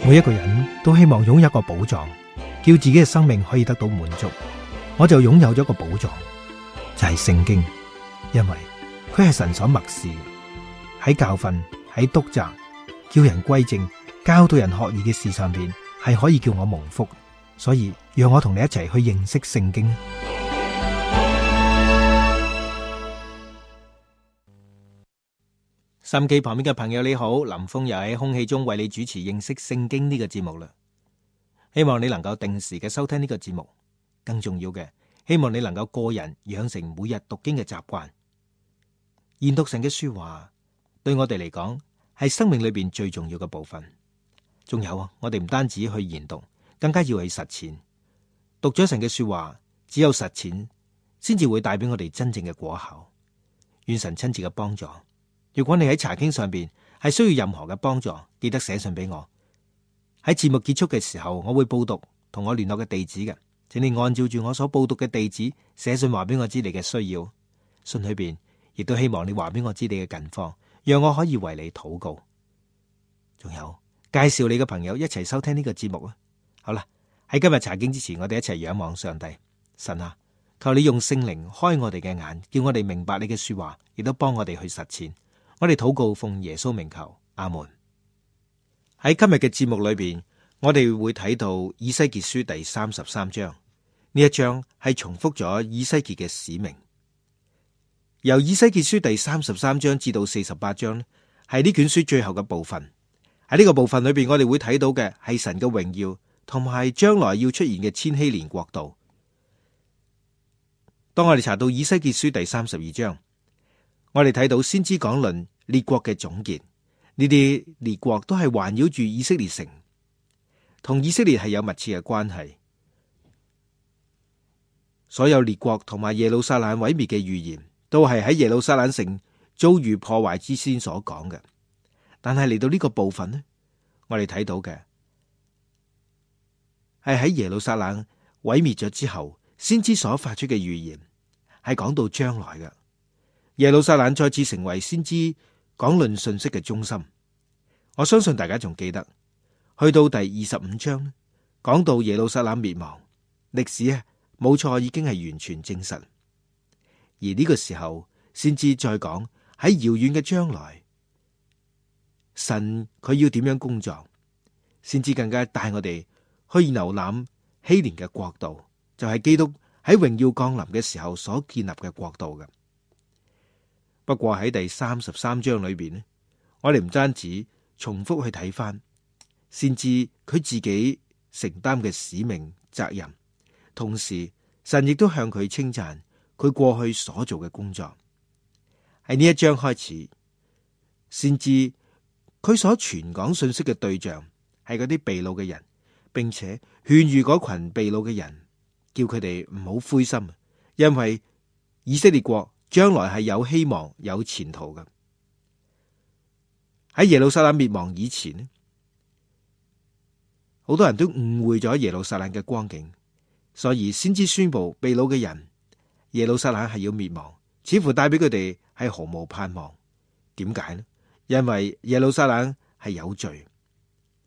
每一個人都希望擁有一個寶藏，叫自己嘅生命可以得到滿足。我就擁有咗一個寶藏，就係聖經，因為佢係神所默示，喺教訓、喺督責、叫人歸正、教導人學義嘅事上邊，係可以叫我蒙福。所以讓我同你一齊去認識聖經。收音機旁邊嘅朋友你好，林峰又喺空氣中為你主持認識聖經呢個節目啦。希望你能夠定時嘅收聽呢個節目，更重要嘅，希望你能夠個人養成每日讀經嘅習慣。研讀神嘅說話對我哋嚟講係生命裏邊最重要嘅部分。仲有啊，我哋唔單止去研讀，更加要去實踐。讀咗神嘅說話，只有實踐先至會帶俾我哋真正嘅果效。願神親自嘅幫助。如果你喺查經上邊係需要任何嘅幫助，記得寫信俾我。喺節目結束嘅時候，我會報讀同我聯絡嘅地址嘅，請你按照住我所報讀嘅地址寫信話俾我知你嘅需要。信裏邊亦都希望你話俾我知你嘅近況，讓我可以為你禱告。仲有介紹你嘅朋友一齊收聽呢個節目啊！好啦，喺今日查經之前，我哋一齊仰望上帝。神啊，求你用聖靈開我哋嘅眼，叫我哋明白你嘅說話，亦都幫我哋去實踐。我哋禱告奉耶穌名求，阿門。喺今日嘅節目裏邊，我哋會睇到以西結書第33章。呢一章係重複咗以西結嘅使命。由以西結書第33章至到48章，係呢卷書最後嘅部分。喺呢個部分裏邊，我哋會睇到嘅係神嘅榮耀，同埋將來要出現嘅千禧年國度。當我哋查到以西結書第32章，我哋睇到先知講論列國嘅總結，呢啲列國都係環繞住以色列城，同以色列係有密切嘅關係。所有列國同埋耶路撒冷毀滅嘅預言，都係喺耶路撒冷城遭遇破壞之先所講嘅。但係嚟到呢個部分呢，我哋睇到嘅係喺耶路撒冷毀滅咗之後，先知所發出嘅預言，係講到將來嘅。耶路撒冷再次成為先知講論信息嘅中心。我相信大家仲記得，去到第25章，講到耶路撒冷滅亡，歷史啊冇錯已經係完全證實。而呢個時候，先知再講喺遙遠嘅將來，神佢要點樣工作，先知更加帶我哋去瀏覽禧年嘅國度，就係基督喺榮耀降臨嘅時候所建立嘅國度嘅。不過喺第33章裏邊呢，我哋唔單止重複去睇翻，先知佢自己承擔嘅使命責任，同時神亦都向佢稱讚佢過去所做嘅工作。喺呢一章開始，先知佢所傳講信息嘅對象係嗰啲被擄嘅人，並且勸喻嗰群被擄嘅人，叫佢哋唔好灰心，因為以色列國將來係有希望、有前途嘅。喺耶路撒冷滅亡以前，好多人都誤會咗耶路撒冷嘅光景，所以先知宣布被擄嘅人，耶路撒冷係要滅亡，似乎帶俾佢哋係毫無盼望。點解呢？因為耶路撒冷係有罪，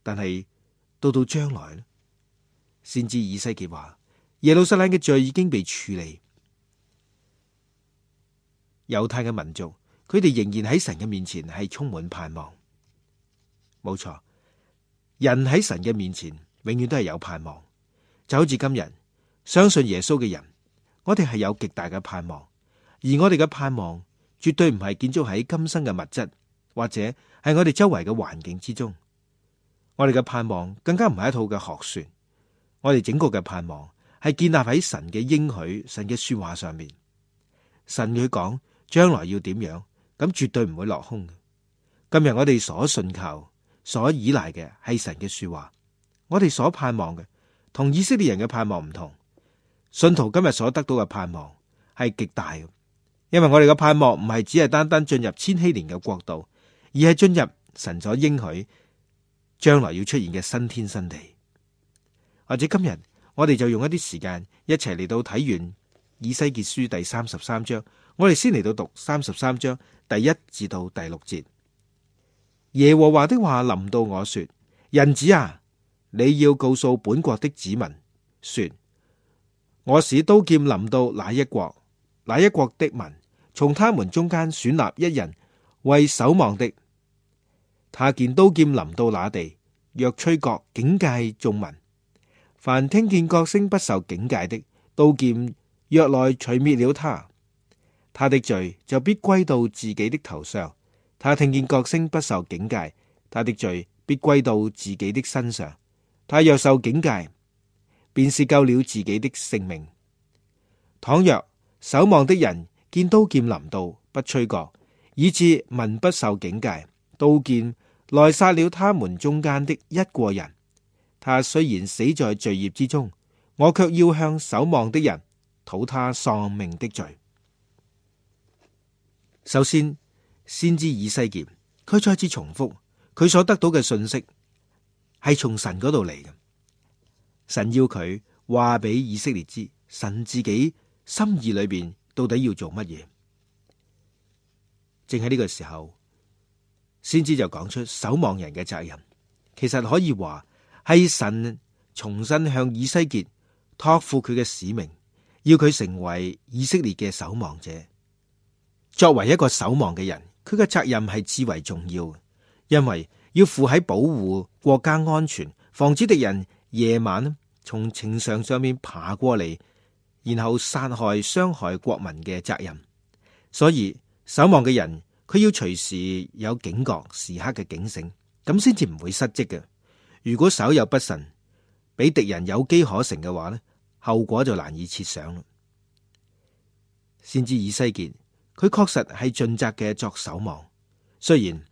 但係到將來呢，先知以西結話耶路撒冷嘅罪已經被處理。猶太嘅民族，佢哋仍然喺神嘅面前係充滿盼望。冇錯，人喺神嘅面前永遠都係有盼望。就好似今日相信耶穌嘅人，我哋係有極大嘅盼望，而我哋嘅盼望絕對唔係建築喺今生嘅物質，或者係我哋周圍嘅環境之中。我哋嘅盼望更加唔係一套嘅學說，我哋整個嘅盼望係建立喺神嘅應許、神嘅說話上面。神佢講將來要點樣，咁絕對唔會落空。今日我哋所信靠、所依賴嘅係神嘅說話，我哋所盼望嘅同以色列人嘅盼望唔同。信徒今日所得到嘅盼望係極大嘅，因為我哋嘅盼望唔係只係單單進入千禧年嘅國度，而係進入神所應許將來要出現嘅新天新地。或者今日我哋就用一啲時間一齊嚟到睇完以西結書第33章，我哋先嚟到讀33章第1至到第6節。耶和華的話臨到我說：人子啊，你要告訴本國的子民說，我使刀劍臨到那一國，那一國的民從他們中間選立一人為守望的。他見刀劍臨到那地，若吹角警戒眾民，凡聽見角聲不受警戒的，刀劍若來除滅了他，他的罪就必歸到自己的頭上。他聽見角聲不受警戒，他的罪必歸到自己的身上。他若受警戒，便是救了自己的性命。倘若守望的人見刀劍臨到，不吹角，以致民不受警戒，刀劍來殺了他們中間的一個人，他雖然死在罪孽之中，我卻要向守望的人討他喪命的罪。首先，先知以西結，佢再次重複佢所得到嘅信息係從神嗰度嚟嘅。神要佢話俾以色列知，神自己心意裏邊到底要做乜嘢。正喺呢個時候，先知就講出守望人嘅責任。其實可以話係神重新向以西結託付佢嘅使命，要佢成為以色列嘅守望者。作為一個守望嘅人，佢嘅責任係至為重要，因為要負喺保護國家安全、防止敵人夜晚從城牆上面爬過嚟，然後殺害、傷害國民嘅責任。所以守望嘅人，佢要隨時有警覺、時刻嘅警醒，咁先至唔會失職嘅。如果稍有不慎，俾敵人有機可乘嘅話呢，後果就難以設想啦。先知以西結，佢確實係盡責嘅作守望。雖然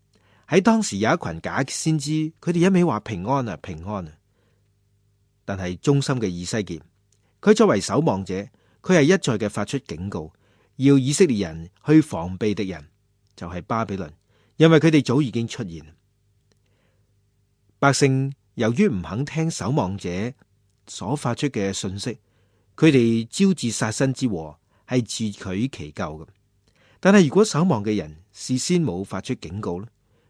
喺當時有一群假先知，佢哋一味話平安啊平安啊，但係忠心嘅以西結，佢作為守望者，佢係一再嘅發出警告，要以色列人去防備敵人，就係巴比倫，因為佢哋早已經出現。百姓由於唔肯聽守望者所發出嘅信息，佢哋招致殺身之禍，係自取其咎嘅。但係如果守望嘅人事先冇發出警告咧，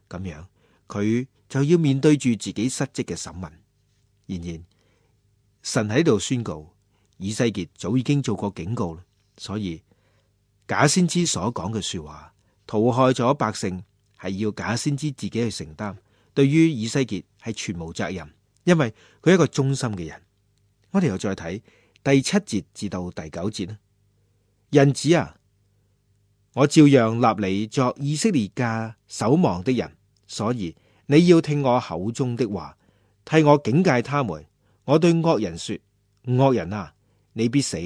咁樣佢就要面對住自己失職嘅審問。然而神喺度宣告，以西結早已經做過警告啦，所以假先知所講嘅說話屠害咗百姓，係要假先知自己去承擔。對於以西結係全無責任，因為佢係一個忠心嘅人。我哋又再睇第7節至到第9節啦。人子啊，我照樣立你作以色列家守望的人，所以你要聽我口中的話，替我警戒他們。我對惡人說：惡人啊，你必死。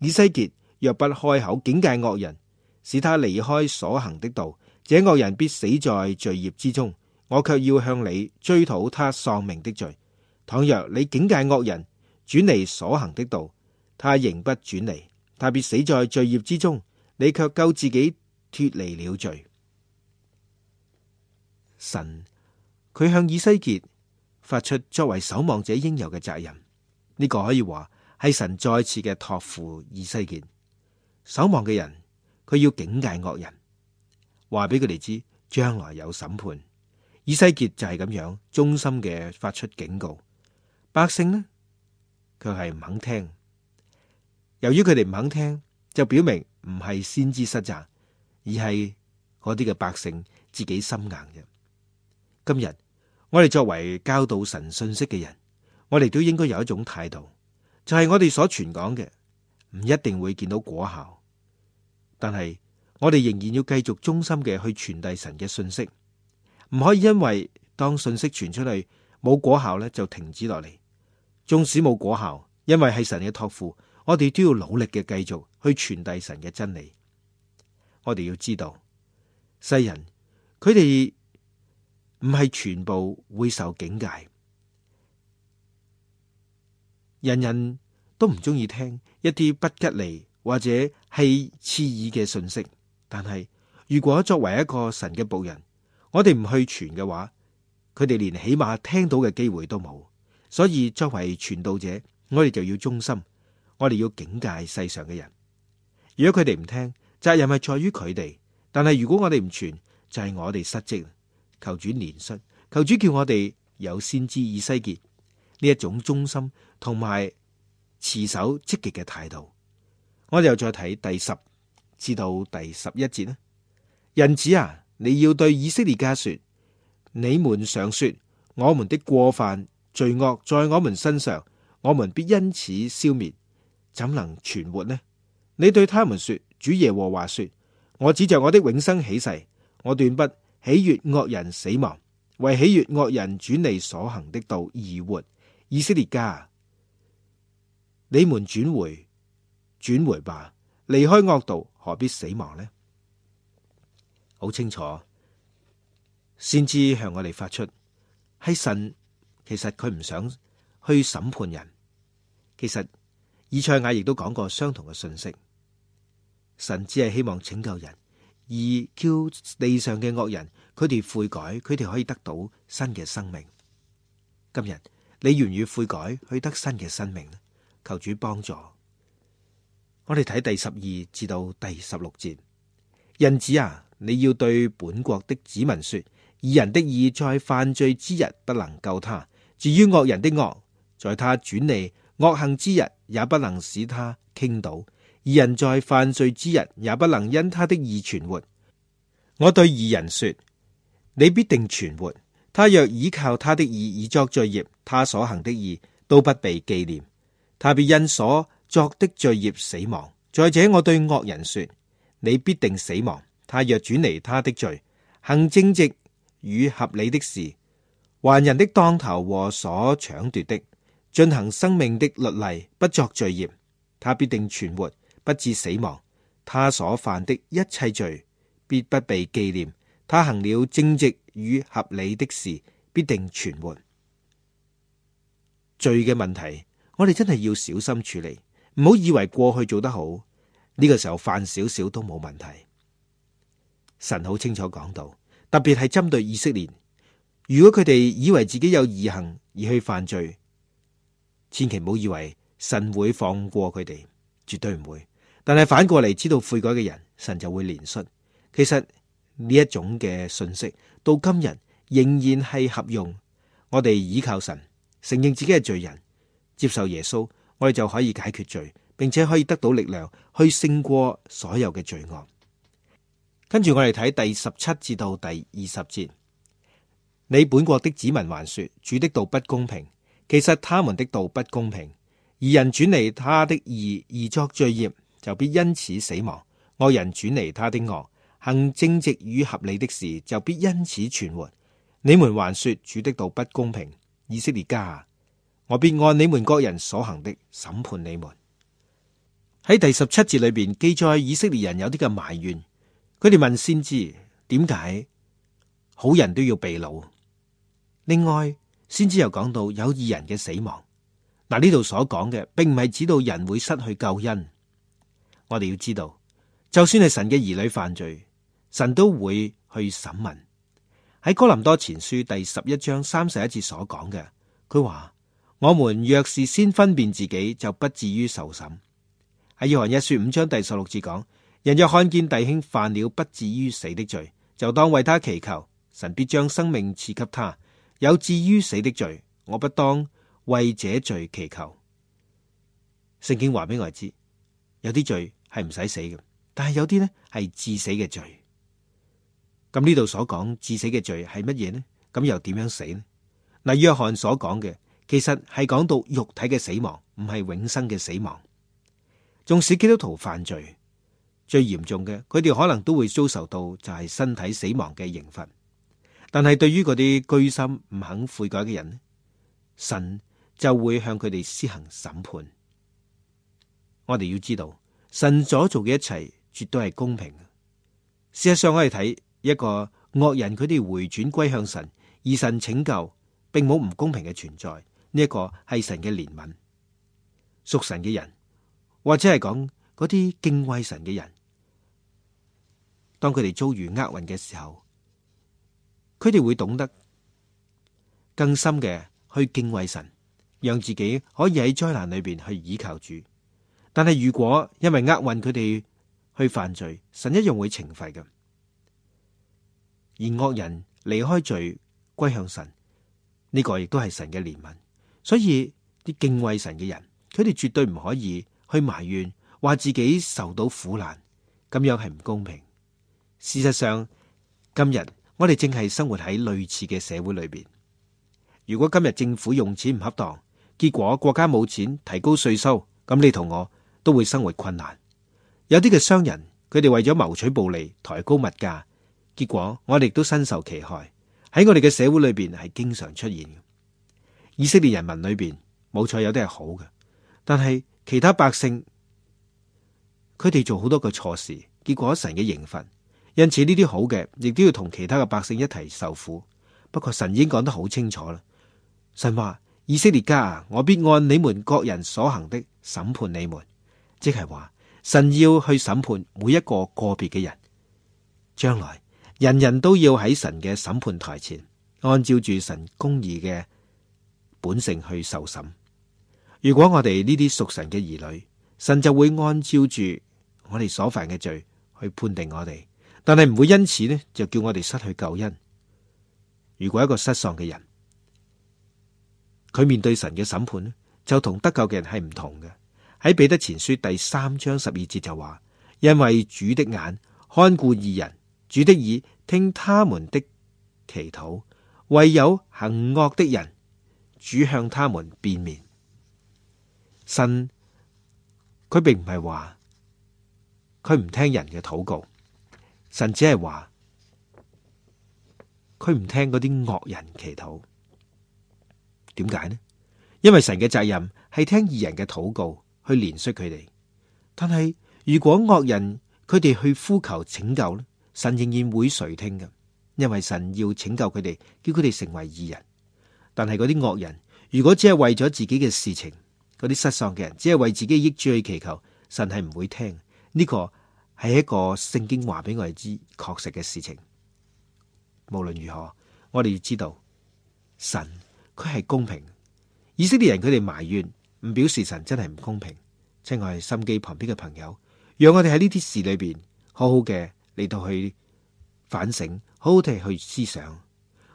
以西結若不開口警戒惡人，使他離開所行的道，這惡人必死在罪孽之中。我卻要向你追討他喪命的罪。倘若你警戒惡人轉離所行的道，他仍不轉離，他必死在罪孽之中。你卻救自己脫離了罪。神佢向以西結發出作為守望者應有嘅責任，呢個可以話係神再次嘅託付以西結。守望嘅人，佢要警戒惡人，話俾佢哋知將來有審判。以西結就係咁樣忠心嘅發出警告，百姓呢，佢係唔肯聽。由於佢哋唔肯聽，就表明唔係先知失責，而係嗰啲嘅百姓自己心硬嘅。今日我哋作為教導神信息嘅人，我哋都應該有一種態度，就係我哋所傳講嘅唔一定會見到果效，但係我哋仍然要繼續忠心嘅去傳遞神嘅信息。唔可以因為當信息傳出去冇果效咧，就停止落嚟。縱使冇果效，因為係神嘅託付，我哋都要努力嘅繼續去傳遞神嘅真理。我哋要知道，世人佢哋唔係全部會受警戒，人人都唔中意聽一啲不吉利或者係刺耳嘅信息。但係如果作為一個神嘅僕人，我哋唔去傳嘅話，佢哋連起碼聽到嘅機會都冇。所以作為傳道者，我哋就要忠心，我哋要警戒世上嘅人。如果佢哋唔聽，責任係在於佢哋。但係如果我哋唔傳，就係我哋失職。求主憐恤，求主叫我哋有先知以西結呢一種忠心同埋持守積極嘅態度。我哋又再睇第10至到第11節啦。人子啊，你要對以色列家說：你們常說我們的過犯罪惡在我們身上，我們必因此消滅，怎能存活呢？你對他們說：主耶和華說，我指着我的永生起誓，我斷不喜悅惡人死亡，為喜悅惡人轉離所行的道而活。以色列家，你們轉回吧，離開惡道，何必死亡呢？好清楚，先知向我哋發出，係神其實佢唔想去審判人。其實以賽亞亦都講過相同嘅信息，神只係希望拯救人，而叫地上嘅惡人佢哋悔改，佢哋可以得到新嘅生命。今日你願意悔改去得新嘅生命呢？求主幫助。我哋睇第12至到第16節。人子啊，你要對本國的子民說：義人的義在犯罪之日不能救他，至於惡人的惡，在他轉離惡行之日也不能使他傾倒。義人在犯罪之日也不能因他的義存活。我對義人說：你必定存活。他若倚靠他的義而作罪孽，他所行的義都不被紀念，他必因所作的罪孽死亡。再者，我對惡人說：你必定死亡。他若轉離他的罪，行正直與合理的事，還人的當頭和所搶奪的，進行生命的律例，不作罪孽，他必定存活，不致死亡。他所犯的一切罪必不被紀念。他行了正直與合理的事，必定存活。罪嘅問題，我哋真係要小心處理，唔好以為過去做得好，呢個時候犯少少都冇問題。神好清楚講到，特別係針對以色列，如果佢哋以為自己有義行而去犯罪，千祈唔好以為神會放過佢哋，絕對唔會。但係反過嚟，知道悔改嘅人，神就會憐恤。其實呢一種嘅信息到今日仍然係合用。我哋依靠神，承認自己係罪人，接受耶穌，我哋就可以解決罪，並且可以得到力量去勝過所有嘅罪惡。跟住我哋睇第17至到第20節。你本國的子民還說，主的道不公平，其實他們的道不公平。義人轉離他的義而作罪孽，就必因此死亡。惡人轉離他的惡，行正直與合理的事，就必因此存活。你們還說主的道不公平，以色列家，我必按你們各人所行的審判你們。喺第17節裏邊記載以色列人有啲嘅埋怨，佢哋問先知點解好人都要被擄。另外，先知又講到有義人嘅死亡。嗱，呢度所講嘅並唔係指到人會失去救恩。我哋要知道，就算係神嘅兒女犯罪，神都會去審問。喺哥林多前書第11章31節所講嘅，佢話：我們若是先分辨自己，就不至於受審。喺約翰一書5章第16節講：人若看見弟兄犯了不至於死的罪，就當為他祈求，神必將生命賜給他。有至於死的罪，我不當為這罪祈求。聖經話俾我哋知，有啲罪係唔使死嘅，但係有啲呢係致死嘅罪。咁呢度所講致死嘅罪係乜嘢呢？咁又點樣死呢？嗱，約翰所講嘅其實係講到肉體嘅死亡，唔係永生嘅死亡。縱使基督徒犯罪，最嚴重嘅，佢哋可能都會遭受到就係身體死亡嘅刑罰。但係對於嗰啲居心唔肯悔改嘅人，神就會向佢哋施行審判。我哋要知道，神所做嘅一切絕對係公平。事實上，我哋睇一個惡人，佢哋回轉歸向神，而神拯救，並冇唔公平嘅存在。呢一個係神嘅憐憫。屬神嘅人，或者係講嗰啲敬畏神嘅人，當佢哋遭遇厄運嘅時候，佢哋會懂得更深嘅去敬畏神，讓自己可以喺災難裏邊去倚靠主。但係如果因為厄運佢哋去犯罪，神一樣會懲罰嘅。而惡人離開罪歸向神，呢個亦都係神嘅憐憫。所以啲敬畏神嘅人，佢哋絕對唔可以去埋怨，話自己受到苦難，咁樣係唔公平。事實上，今日我哋正係生活喺類似嘅社會裏邊。如果今日政府用錢唔恰當，結果國家冇錢提高稅收，咁你同我都會生活困難。有啲嘅商人，佢哋為咗謀取暴利，抬高物價，結果我哋都身受其害。喺我哋嘅社會裏邊係經常出現嘅。以色列人民裏邊冇錯，有啲係好嘅，但係其他百姓佢哋做好多個錯事，結果神嘅刑罰。因此呢啲好嘅，亦都要同其他嘅百姓一齊受苦。不過神已經講得好清楚啦。神話以色列家啊，我必按你們各人所行的審判你們，即係話神要去審判每一個個別嘅人。將來人人都要喺神嘅審判台前，按照住神公義嘅本性去受審。如果我哋呢啲屬神嘅兒女，神就會按照住我哋所犯嘅罪去判定我哋。但係唔會因此呢，就叫我哋失去救恩。如果一個失喪嘅人，佢面對神嘅審判呢，就同得救嘅人係唔同嘅。喺彼得前書第3章12節就話：因為主的眼看顧義人，主的耳聽他們的祈禱，唯有行惡的人，主向他們變面。神佢並唔係話佢唔聽人嘅禱告。神只係話佢唔聽嗰啲惡人祈禱。點解呢？因為神嘅責任係聽義人嘅禱告，去憐恤佢哋。但係如果惡人佢哋去呼求拯救呢，神仍然會垂聽嘅，因為神要拯救佢哋，叫佢哋成為義人。但係嗰啲惡人如果只係為咗自己嘅事情，嗰啲失喪嘅人只係為自己益處去祈求，神係唔會聽。呢個係一個聖經話俾我哋知確實嘅事情。無論如何，我哋要知道神佢係公平。以色列人佢哋埋怨，唔表示神真係唔公平。親愛心機旁邊嘅朋友，讓我哋喺呢啲事裏邊好好嘅嚟到去反省，好好地去思想。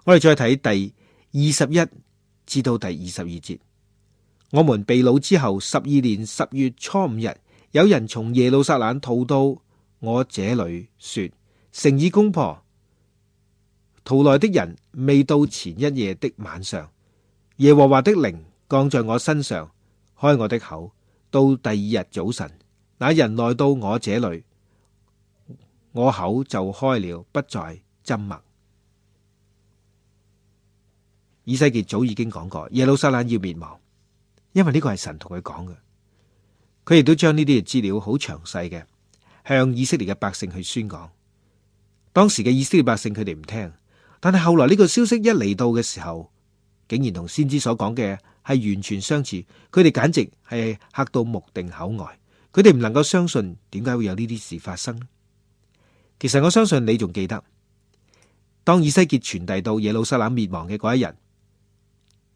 我哋再睇第21至到第22節。我們被擄之後12年10月初5日，有人從耶路撒冷逃到我這裏，說城已攻破。逃來的人未到前一夜的晚上，耶和華的靈降在我身上，開我的口。到第二日早晨，那人來到我這裏，我口就開了，不再緘默。以西結早已經講過，耶路撒冷要滅亡，因為呢個係神同佢講嘅。佢亦都將呢啲嘅資料好詳細嘅向以色列嘅百姓去宣講。當時嘅以色列百姓佢哋唔聽，但係後來呢個消息一嚟到嘅時候，竟然同先知所講嘅係完全相似。佢哋簡直係嚇到目定口呆，佢哋唔能夠相信點解會有呢啲事發生呢？其實我相信你仲記得，當以西結傳遞到耶路撒冷滅亡嘅嗰一日，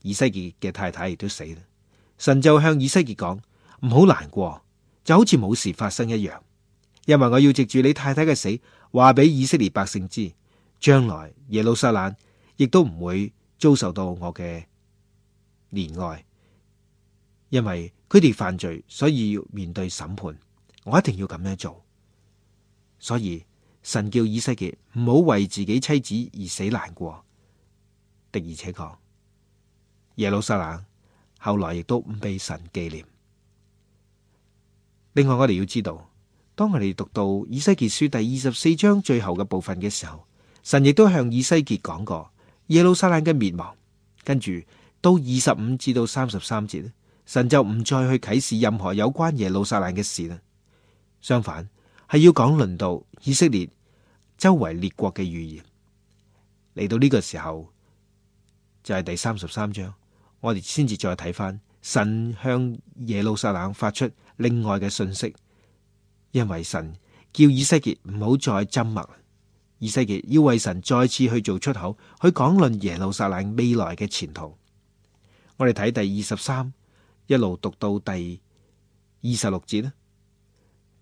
以西結嘅太太亦都死啦。神就向以西結講：唔好難過，就好似冇事發生一樣，因為我要藉住你太太嘅死，話俾以色列百姓知，將來耶路撒冷亦都唔會遭受到我嘅憐愛，因為佢哋犯罪，所以要面對審判。我一定要咁樣做。所以神叫以西結唔好為自己妻子而死難過。的而且確，耶路撒冷後來亦都唔被神紀念。另外，我哋要知道，當我哋讀到以西結書第24章最後嘅部分嘅時候，神亦都向以西結講過耶路撒冷嘅滅亡。跟住到25至到33節，神就唔再去啟示任何有關耶路撒冷嘅事啦。相反，係要講論到以色列周圍列國嘅預言。嚟到呢個時候，就係第33章，我哋先至再睇翻神向耶路撒冷發出另外嘅信息，因為神叫以西結唔好再緘默，以西結要為神再次去做出口，去講論耶路撒冷未來嘅前途。我哋睇第23一路讀到第26節啦。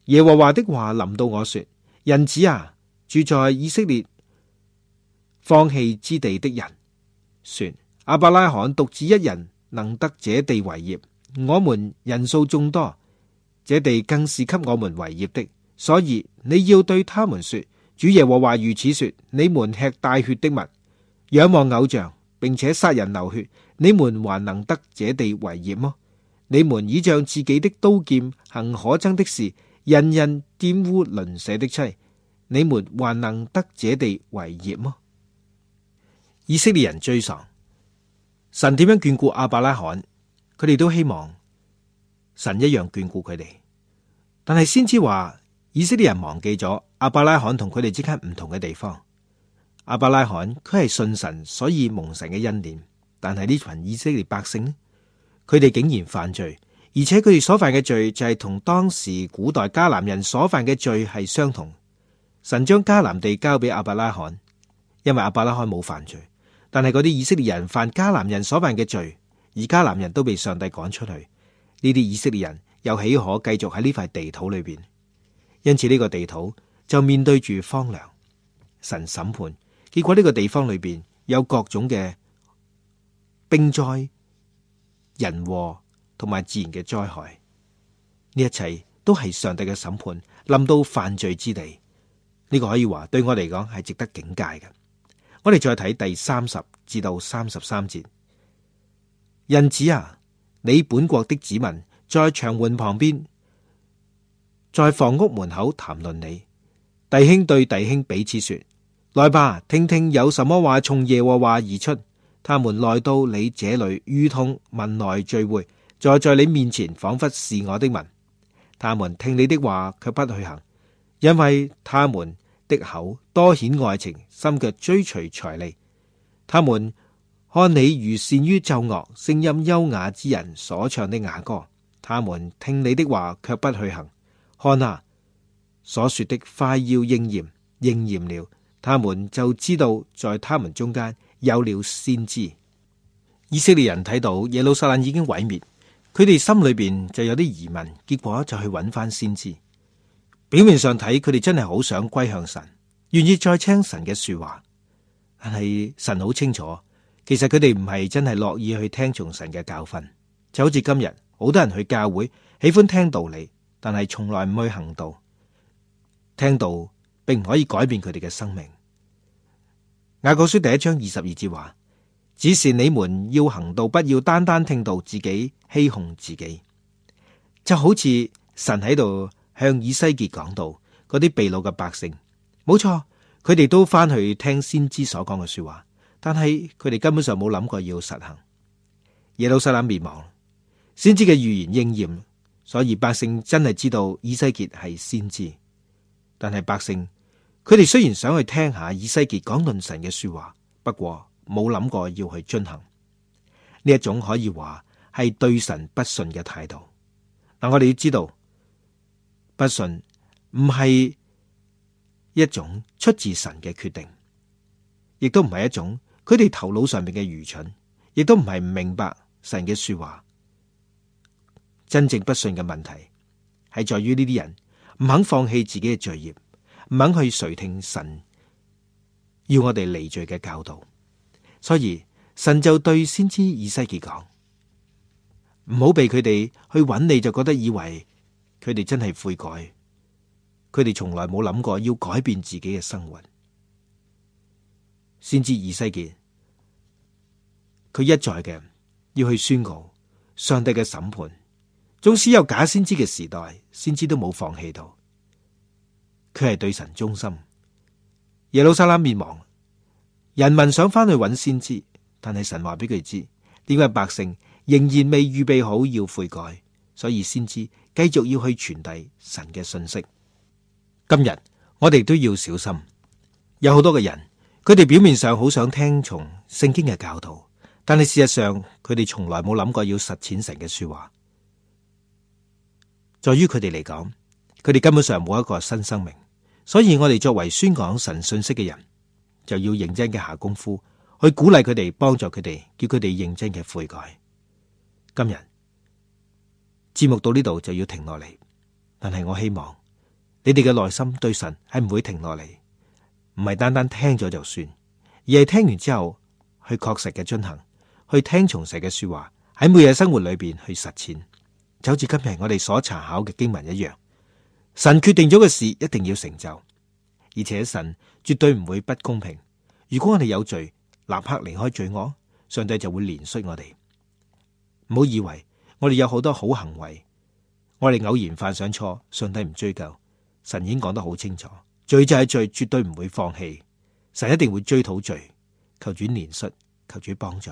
耶和華的話臨到我說：人子啊，住在以色列放棄之地的人說，亞伯拉罕獨自一人能得這地為業，我們人數眾多，這地更是給我們為業的。所以你要對他們說，主耶和華如此說：你們吃帶血的物，仰望偶像，並且殺人流血，你們還能得這地為業麼？你們倚仗自己的刀劍行可憎的事，人人玷污鄰舍的妻，你們還能得這地為業麼？以色列人追喪，神點樣眷顧亞伯拉罕，佢哋都希望神一樣眷顧佢哋。但係先知話，以色列人忘記咗亞伯拉罕同佢哋之間唔同嘅地方。亞伯拉罕佢係信神，所以蒙神嘅恩典。但係呢群以色列百姓呢，佢哋竟然犯罪，而且佢哋所犯嘅罪就係同當時古代迦南人所犯嘅罪係相同。神將迦南地交俾亞伯拉罕，因為亞伯拉罕冇犯罪。但係嗰啲以色列人犯迦南人所犯嘅罪，而迦南人都被上帝趕出去。呢啲以色列人又豈可繼續喺呢塊地土裏邊？因此呢個地土就面對住荒涼，神審判。結果呢個地方裏邊有各種嘅兵災、人禍同埋自然嘅災害，呢一切都係上帝嘅審判臨到犯罪之地。呢個可以話對我嚟講係值得警戒嘅。我哋再睇第30至到33節。人子啊，你本國的子民在牆垣旁邊，在房屋門口談論你。弟兄對弟兄彼此說：來吧，聽聽有什麼話從耶和華而出。他們來到你這裏，如同民來聚會，坐在你面前，仿佛是我的民。他們聽你的話，卻不去行，因為他們的口多顯愛情，心卻追隨財利。他們看你如善於奏樂，聲音優雅之人所唱的雅歌。他們聽你的話，卻不去行。看啊，所說的快要應驗，應驗了，他們就知道在他們中間有了先知。以色列人睇到耶路撒冷已經毀滅，佢哋心裏邊就有啲疑問，結果就去揾翻先知。表面上睇，佢哋真係好想歸向神，願意再聽神嘅說話。但係神好清楚，其實佢哋唔係真係樂意去聽從神嘅教訓。就好似今日好多人去教會，喜歡聽道理，但係從來唔去行道。聽道並唔可以改變佢哋嘅生命。雅各書第1章22節話：只是你們要行道，不要單單聽道，自己欺哄自己。就好似神喺度向以西結講道，嗰啲被擄嘅百姓，冇錯，佢哋都翻去聽先知所講嘅說話，但係佢哋根本上冇諗過要實行。耶路撒冷滅亡，先知嘅預言應驗，所以百姓真係知道以西結係先知。但係百姓，佢哋雖然想去聽下以西結講論神嘅說話，不過冇諗過要去遵行。呢一種可以話係對神不信嘅態度。嗱，我哋要知道，不信唔係一種出自神嘅決定，亦都唔係一種佢哋頭腦上面嘅愚蠢，亦都唔係唔明白神嘅說話。真正不信嘅問題係在於呢啲人唔肯放棄自己嘅罪孽，唔肯去垂聽神要我哋離罪嘅教導。所以神就對先知以西結講：唔好被佢哋去揾你，就覺得以為佢哋真係悔改，佢哋從來冇諗過要改變自己嘅生活。先知以西結，佢一再嘅要去宣告上帝嘅審判。縱使有假先知嘅時代，先知都冇放棄到，佢係對神忠心。耶路撒冷滅亡，人民想翻去揾先知，但係神話俾佢知，點解百姓仍然未預備好要悔改，所以先知繼續要去傳遞神嘅信息。今日我哋都要小心，有好多嘅人，佢哋表面上好想聽從聖經嘅教導，但係事實上佢哋從來冇諗過要實踐神嘅說話。在於佢哋嚟講，佢哋根本上冇一個新生命，所以我哋作為宣講神信息嘅人，就要認真嘅下功夫去鼓勵佢哋，幫助佢哋，叫佢哋認真嘅悔改。今日節目到呢度就要停落嚟，但係我希望你哋嘅內心對神係唔會停落嚟，唔係單單聽咗就算，而係聽完之後去確實嘅遵行，去聽從神嘅說話，喺每日生活裏邊去實踐，就好似今日我哋所查考嘅經文一樣。神決定咗嘅事一定要成就，而且神絕對唔會不公平。如果我哋有罪，立刻離開罪惡，上帝就會憐恤我哋。唔好以為我哋有好多好行為，我哋偶然犯上錯，上帝唔追究。神已經講得好清楚，罪就係罪，絕對唔會放棄。神一定會追討罪，求主憐恤，求主幫助。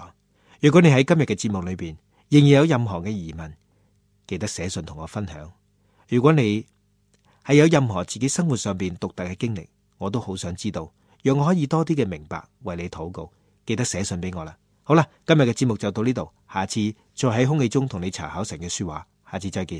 如果你喺今日嘅節目裏邊仍然有任何嘅疑問，記得寫信同我分享。如果你係有任何自己生活上邊獨特嘅經歷，我都好想知道，讓我可以多啲嘅明白，為你禱告。記得寫信俾我啦。好啦，今日嘅節目就到呢度，下次再喺空氣中同你查考神嘅說話，下次再見。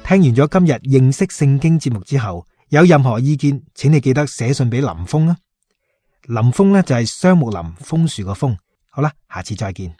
聽完咗今日認識聖經節目之後，有任何意見，請你記得寫信俾林峰啊。林峰呢就係雙木林楓樹個楓。好啦，下次再見。